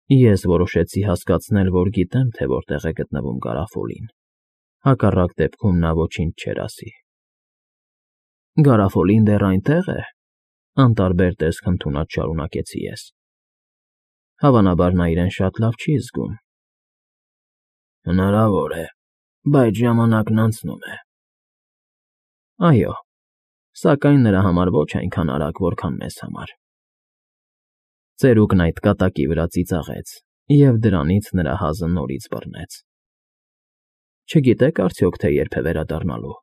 Ես որոշեցի հասկացնել, որ գիտեմ, թե որտեղ է գտնվում Գարաֆոլին, հակառակ դեպքում նա ոչինչ չէր ասի։ Գարաֆոլին դեռ այնտեղ է, անտարբեր տեսք ընդունած շարունակեցի ես։ Հավանաբար նա իրեն շատ լավ չի զգում։ Հնարավոր է, բայց ժամանակն անցնում է։ Այո, սակայն նրա համար ոչ այնքան արագ, որքան մեզ համար։ Ծերուկն այդ կատակի վրա ծիծաղեց, և դրանից նրա հազը նորից բռնեց։ Չգիտեք արդյոք, թե երբ է վերադառնալու,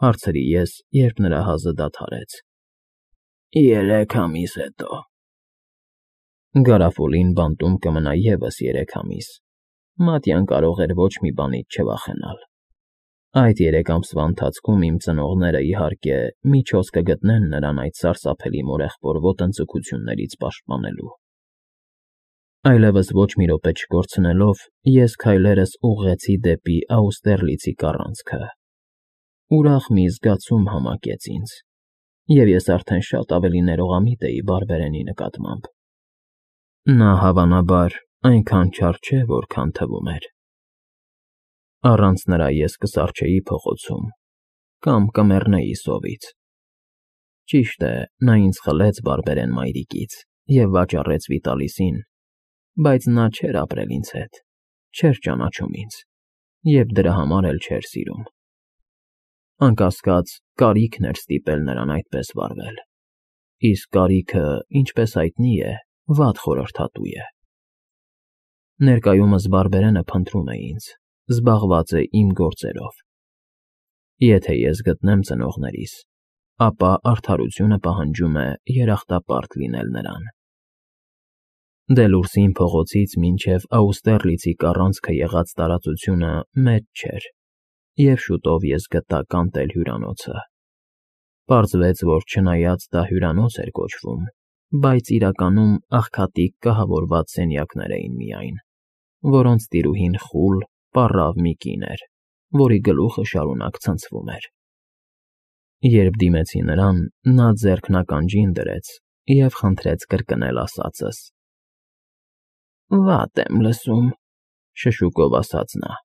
հարցրի ես, երբ նրա հազը դադարեց։ 3 ամիս հետո։ Գարաֆոլին բանտում կմնա ևս 3 ամիս։ Մատյան կարող էր ոչ մի բանից չվախենալ։ Այդ 3 ամսվա ընթացքում իմ ծնողները, իհարկե, միջոց կգտնեն նրան այդ սարսափելի մորեղբոր ոտնձգություններից պաշտպանելու։ Այլևս ոչ մի րոպե չկորցնելով, ես քայլերս ուղղեցի դեպի Աուստերլիցի կառանցքը։ Ուրախ մի զգացում համակեց ինձ, և ես արդեն շատ ավելի ներողամիտ էի Բարբերենի նկատմամբ։ Նա, հավանաբար, այնքան չար չէ, որքան թվում էր։ Առանց նրա ես կսառչեի փողոցում կամ կմեռնեի սովից։ Ճիշտ է, նա ինձ խլեց Բարբերեն մայրիկից և վաճառեց Վիտալիսին, բայց նա չէր ապրել ինձ հետ, չէր ճանաչում ինձ և դրա համար էլ չէր սիրում։ Անկասկած, կարիքն էր ստիպել նրան այդպես վարվել, իսկ կարիքը, ինչպես հայտնի է, վատ խորհրդատու է։ Ներկայումս Բարբերենը փնտրում է ինձ, զբաղված է իմ գործերով։ Եթե ես գտնեմ ծնողներիս, ապա արդարությունը պահանջում է երախտապարտ լինել նրան։ Դելուրսին փողոցից մինչև Աուստերլիցի կառանցքը եղած տարածությունը մեծ չէր, և շուտով ես գտա կանտել հյուրանոցը։ Պարզվեց, որ չնայած դա հյուրանոց էր կոչվում, բայց իրականում աղքատիկ կահավորված սենյակներ էին միայն, որոնց տիրուհին խուլ, պառավ մի կին էր, որի գլուխը շարունակ ցնցվում էր։ Երբ դիմեցի նրան, նա ձեռքն ականջին դրեց և խնդրեց կրկնել ասածս։ Վատ եմ լսում, շշուկով ասաց նա։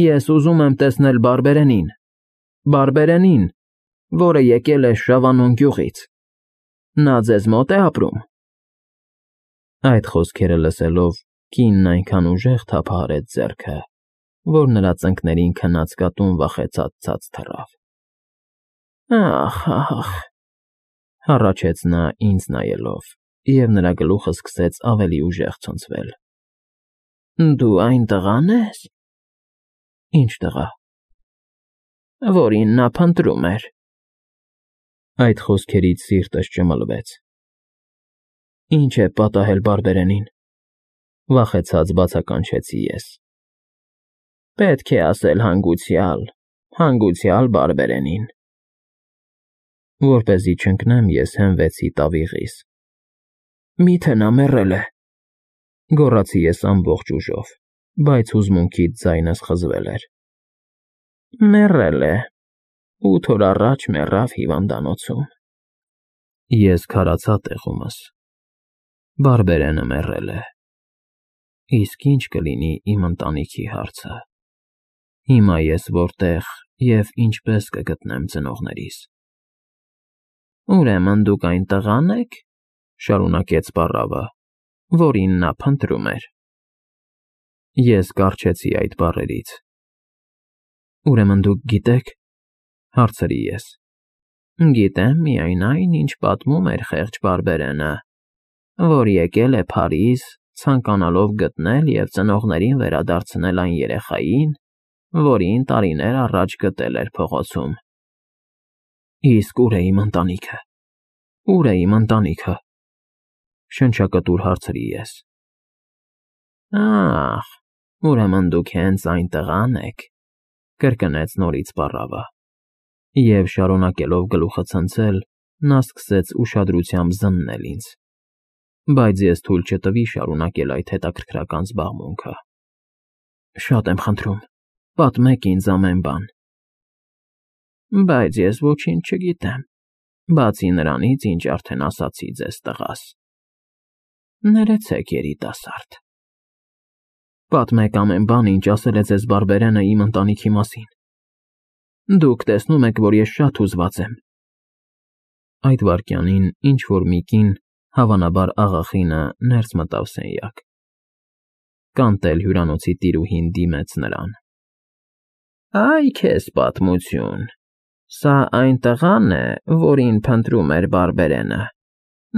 Ես ուզում եմ տեսնել Բարբերենին, Բարբերենին, որը եկել է Շավանոն գյուղից։ Նա ձեզ մոտ է ապրում։ Այդ խոսքերը լսելով, կինն այնքան ուժեղ թափահարեց ձեռքը, որ նրա ծնկներին քնած կատուն վախեցած ցած թռավ։ Ախ, հառաչեց նա ինձ նայելով, և նրա գլուխը սկսեց ավելի ուժեղ ցնցվել։ Դու այն տղա՞ն ես։ Ինչ տղա։ Որին նա փնտրում էր։ Այդ խոսքերից սիրտս ճմլվեց։ Ինչ է պատահել Բարբերենին, վախեցած բացականչեցի ես։ Պետք է ասել հանգուցյալ Բարբերենին։ Որպեսզի չընկնեմ, ես հենվեցի տավիղիս։ Միթե նա մեռել է, գոռացի ես ամբողջ ուժով, բայց հուզմունքից ձայնս խզվել էր։ Մեռել է, 8 օր առաջ մեռավ հիվանդանոցում։ Ես քարացա տեղումս։ Բարբերենը մեռել է։ Իսկ ինչ կլինի իմ ընտանիքի հարցը։ Հիմա ես որտեղ և ինչպես կգտնեմ ծնողներիս։ Ուրեմն դուք այն տղան եք, շարունակեց պառավը, որին նա փնտրում էր։ Ես կառչեցի այդ բառերից։ Ուրեմն դուք գիտեք, հարցրի ես։ Գիտեմ միայն այն, ինչ պատմում էր խեղճ Բարբերենը, որ եկել է Փարիզ, ցանկանալով գտնել և ծնողներին վերադարձնել այն երեխային, որին տարիներ առաջ գտել էր փողոցում։ Իսկ ուր է իմ ընտանիքը։ Ուր է իմ ընտանիքը։ Շնչակտուր հարցրի ես։ Ախ, ուրեմն դուք հենց այն տղան եք, կրկնեց նորից պառավը, և շարունակելով գլուխը ցնցել, նա սկսեց ուշադրությամբ զննել ինձ, բայց ես թույլ չտվի շարունակել այդ հետաքրքրական զբաղմունքը։ Շատ եմ խնդրում, պատմեք ինձ ամեն բան։ Բայց ես ոչինչ չգիտեմ, բացի նրանից, ինչ արդեն ասացի ձեզ տղաս։ Ներեցեք, երիտասարդ։ Պատմեք ամեն բան, ինչ ասել է ձեզ բարբերենը իմ ընտանիքի մասին։ Դուք տեսնում եք, որ ես շատ հուզված եմ։ Այդ վայրկյանին ինչ-որ մի կին, հավանաբար աղախինը, ներս մտավ սենյակ։ Կանտել հյուրանոցի տիրուհին դիմեց նրան։ Այ քեզ պատմություն։ Սա այն տղան է, որին փնտրում էր բարբերենը։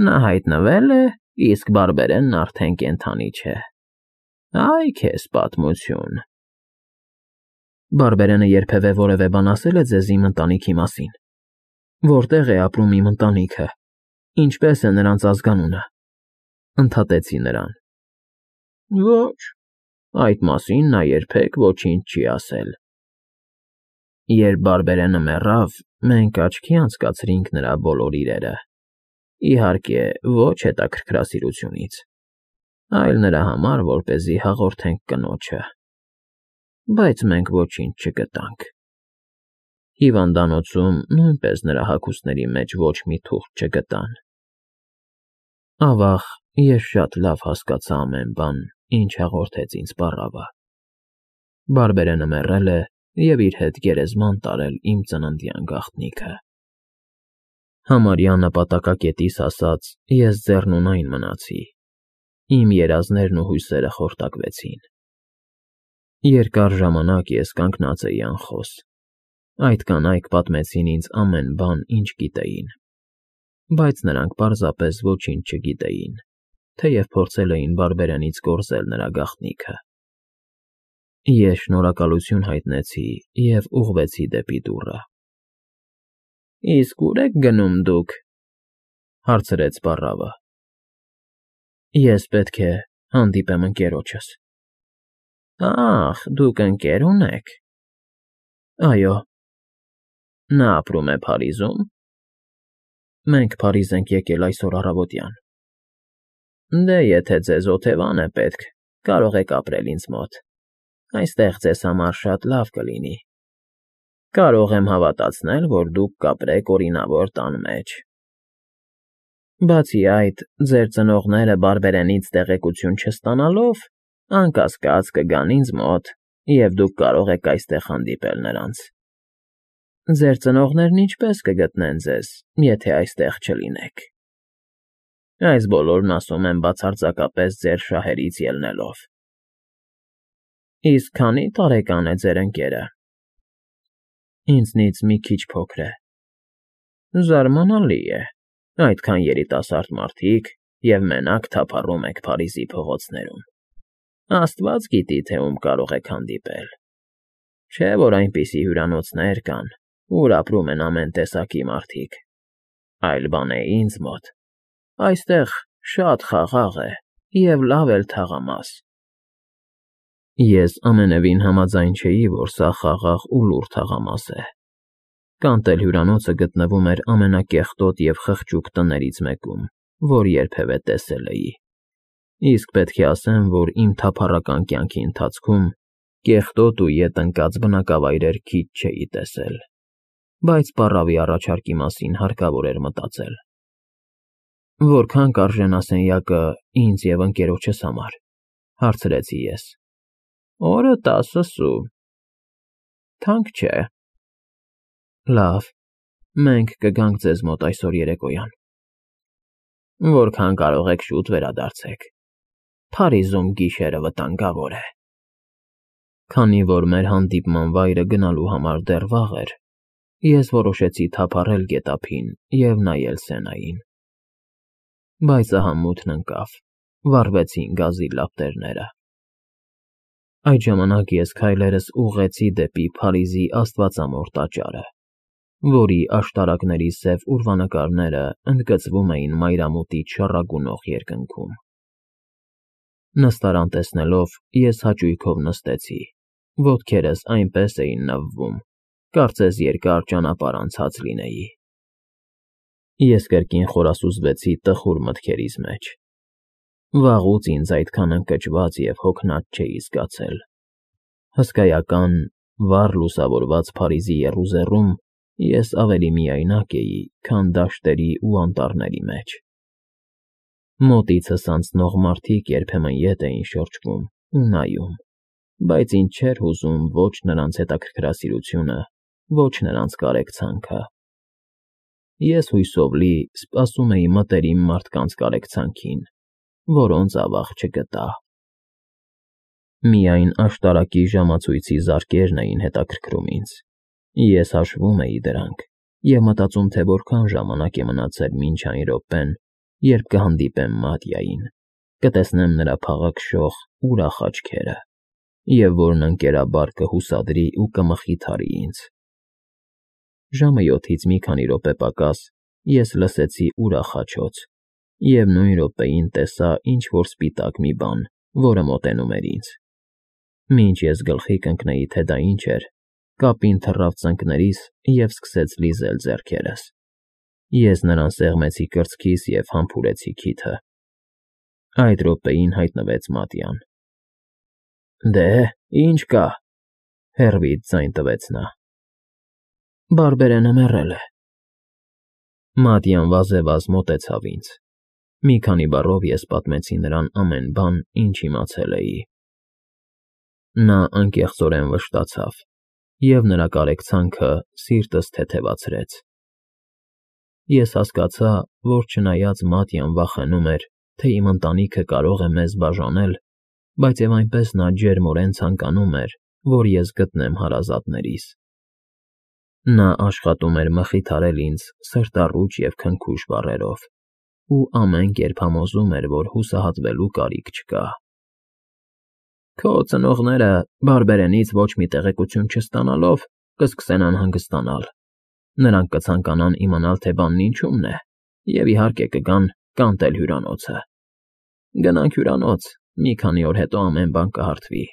Նա հայտնվել է, իսկ բարբերենն արդեն կենդանի չէ։ Այ քեզ պատմություն։ Բարբերենը երբևէ որևէ բան ասել է ձեզ իմ ընտանիքի մասին։ Որտեղ է ապրում իմ ընտանիքը։ Ինչպես է նրանց ազգանունը։ Ընդհատեցի նրան։ Ոչ, այդ մասին նա երբեք ոչինչ չի ասել։ Երբ բարբերենը մեռավ, մենք աչքի անցկացրինք նրա բոլոր իրերը։ Իհարկե, ոչ հետաքրքրասիրությունից, այլ նրա համար, որպեսզի հաղորդենք կնոջը։ Բայց մենք ոչինչ չգտանք։ Հիվանդանոցում նույնպես նրա հագուստների մեջ ոչ մի թուղթ չգտան։ Ավաղ, ես շատ լավ հասկացա ամեն բան, ինչ հաղորդեց ինձ պառավը։ Բարբերենը մեռել է և իր հետ գերեզման տարել իմ ծննդյան գաղտնիքը։ Համարյա նպատակակետիս հասած ես ձեռնունայն մնացի։ Իմ երազներն ու հույսերը խորտակվեցին։ Երկար ժամանակ ես կանգնած էի անխոս։ Այդ կանայք պատմեցին ինձ ամեն բան, ինչ գիտեին։ Բայց նրանք պարզապես ոչինչ չգիտեին, թեև փորձել էին բարբերենից կորզել նրա գաղտնիքը։ Ես շնորհակալություն հայտնեցի և ուղղվեցի դեպի դուռը։ Իսկ ուր եք գնում դուք, հարցրեց պառավը։ Ես պետք է հանդիպեմ ընկերոջս։ Ախ, դուք ընկեր ունեք։ Այո։ Նա ապրում է Փարիզում։ Մենք Փարիզ ենք եկել այսօր առավոտյան։ Դե եթե ձեզ օթևան է պետք, կարող եք ապրել ինձ մոտ։ Այստեղ ձեզ համար շատ լավ կլինի։ Կարող եմ հավատացնել, որ դուք կապրեք օրինավոր տան մեջ։ Բացի այդ, ձեր ծնողները բարբերենից տեղեկություն չստանալով, անկասկած կգան ինձ մոտ, և դուք կարող եք այստեղ հանդիպել նրանց։ Ձեր ծնողներն ինչպես կգտնեն ձեզ, եթե այստեղ չլինեք։ Այս բոլորն ասում եմ բացարձակապես ձեր շահերից ելնելով։ Իսկ քանի տարեկան է ձեր ընկերը։ Ինձնից մի քիչ փոքր է։ Զարմանալի է, այդքան երիտասարդ մարդիկ և մենակ թափառում եք Փարիզի փողոցներում։ Աստված գիտի, թե ում կարող եք հանդիպել։ Չէ՞ որ այնպիսի հյուրանոցներ կան, ուր ապրում են ամեն տեսակի մարդիկ։ Այլ բան է ինձ մոտ։ Այստեղ շատ խաղաղ է և լավ էլ թաղամաս։ Ես ամենևին համաձայն չէի, որ սա խաղաղ ու լուռ թաղամաս է։ Կանտել հյուրանոցը գտնվում էր ամենակեղտոտ և խղճուկ տներից մեկում, որ երբևէ տեսել էի։ Իսկ պետք է ասեմ, որ իմ թափառական կյանքի ընթացքում կեղտոտ ու ետ ընկած բնակավայրեր քիչ չէի տեսել։ Բայց պառավի առաջարկի մասին հարկավոր էր մտածել։ Որքան կարժենա սենյակը ինձ և ընկերոջս համար, հարցրեցի ես։ Օրը 10 սու։ Թանկ չէ։ Լավ, մենք կգանք ձեզ մոտ այսօր երեկոյան։ Որքան կարող եք շուտ վերադարձեք։ Փարիզում գիշերը վտանգավոր է։ Քանի որ մեր հանդիպման վայրը գնալու համար դեռ վաղ էր, ես որոշեցի թափառել գետափին և նայել Սենային։ Բայց ահա մութն ընկավ, վառվեցին գազի լապտերները։ Այդ ժամանակ ես քայլերս ուղղեցի դեպի Փարիզի աստվածամոր տաճարը, որի աշտարակների սև ուրվանկարները ընդգծվում էին մայրամուտից շառագունող երկնքում։ Նստարան տեսնելով, ես հաճույքով նստեցի, ոտքերս այնպես էին նվվում, կարծես երկար ճանապարհ անցած լինեի։ Ես կրկին խորասուզվեցի տխուր մտքերիս մեջ։ Վաղուց ինձ այդքան ընկճված և հոգնած չէի զգացել։ Հսկայական, վառ լուսավորված Փարիզի եռուզեռում ես ավելի միայնակ էի, քան դաշտերի ու անտառների մեջ։ Մոտիցս անցնող մարդիկ երբեմն ետ էին շրջվում ու նայում, բայց ինձ չէր հուզում ոչ նրանց հետաքրքրասիրությունը, ոչ նրանց կարեկցանքը։ Ես հույսով լի սպասում էի մտերիմ մարդկանց կարեկցանքին, որոնց ավաղ չգտա։ Միայն աշտարակի ժամացույցի զարկերն էին հետաքրքրում ինձ։ Ես հաշվում էի դրանք և մտածում, թե որքան ժամանակ է մնացել մինչ այն րոպեն, երբ կհանդիպեմ Մատյային, կտեսնեմ նրա փաղաքշող, ուրախ աչքերը, և որն ընկերաբար կհուսադրի ու կմխիթարի ինձ։ Ժամը 7-ից մի քանի րոպե պակաս ես լսեցի ուրախ աջոց և նույն րոպեին տեսա ինչ֊որ սպիտակ մի բան, որը մոտենում էր ինձ։ Մինչ ես գլխի կընկնեի, թե դա ինչ էր, կապին թռավ ծնկներիս և սկսեց լիզել ձեռքերս։ Ես նրան սեղմեցի կրծքիս և համբուրեցի քիթը։ Այդ րոպեին հայտնվեց Մատյան։ «Դե, ի՞նչ կա,֊ հեռվից ձայն տվեց նա։ «Բարբերենը մեռել է»։ Մատյան վազեվազ մոտեցավ ինձ։ Մի քանի բառով ես պատմեցի նրան ամեն բան, ինչ իմացել էի։ Նա անկեղծորեն վշտացավ, և նրա կարեկցանքը սիրտս թեթևացրեց։ Ես հասկացա, որ չնայած Մատյան վախենում էր, թե իմ ընտանիքը կարող է մեզ բաժանել, բայց և այնպես նա ջերմորեն ցանկանում էր, որ ես գտնեմ հարազատներիս։ Նա աշխատում էր մխիթարել ինձ սրտառուչ և քնքուշ բառերով ու ամեն կերպ համոզում էր, որ հուսահատվելու կարիք չկա։ «Քո ծնողները, Բարբերենից ոչ մի տեղեկություն չստանալով, կսկսեն անհանգստանալ։ Նրանք կցանկանան իմանալ, թե բանն ինչումն է, և, իհարկե, կգան կանտել հյուրանոցը։ Գնանք հյուրանոց, մի քանի օր հետո ամեն բան կհարթվի»։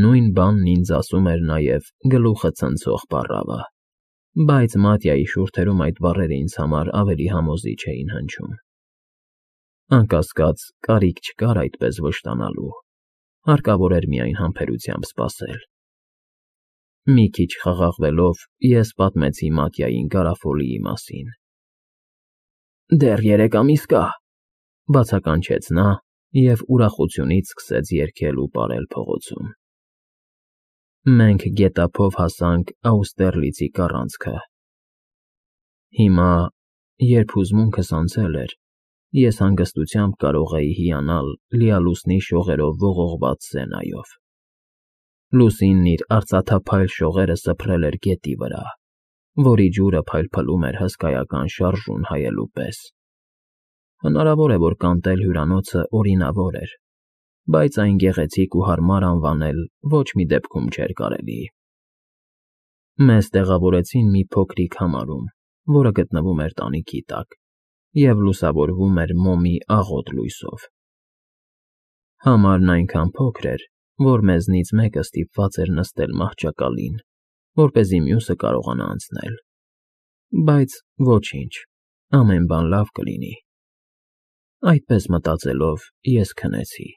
Նույն բանն ինձ ասում էր նաև գլուխը ցնցող պառավը, բայց Մատյայի շուրթերում այդ բառերը ինձ համար ավելի համոզիչ էին հնչում։ Անկասկած, կարիք չկար այդպես վշտանալու, հարկավոր էր միայն համբերությամբ սպասել։ Մի քիչ խաղաղվելով, ես պատմեցի Մատյային Գարաֆոլիի մասին։ «Դեռ 3 ամիս կա,֊ բացականչեց նա և ուրախությունից սկսեց երգել ու պարել փողոցում։ Մենք գետափով հասանք Աուստերլիցի կառանցքը։ Հիմա, երբ հուզմունքս անցել էր, ես հանգստությամբ կարող էի հիանալ լիալուսնի շողերով ողողված Սենայով։ Լուսինն իր արծաթափայլ շողերը սփռել էր գետի վրա, որի ջուրը փայլփլում էր հսկայական շարժուն հայելու պես։ Հնարավոր է, որ կանտել հյուրանոցը օրինավոր էր, բայց այն գեղեցիկ ու հարմար անվանել ոչ մի դեպքում չէր կարելի։ Մեզ տեղավորեցին մի փոքրիկ համարում, որը գտնվում էր տանիքի տակ և լուսավորվում էր մոմի աղոտ լույսով։ Համարն այնքան փոքր էր, որ մեզնից մեկը ստիպված էր նստել մահճակալին, որպեսզի մյուսը կարողանա անցնել։ Բայց ոչինչ, ամեն բան լավ կլինի։ Այդպես մտածելով, ես քնեցի։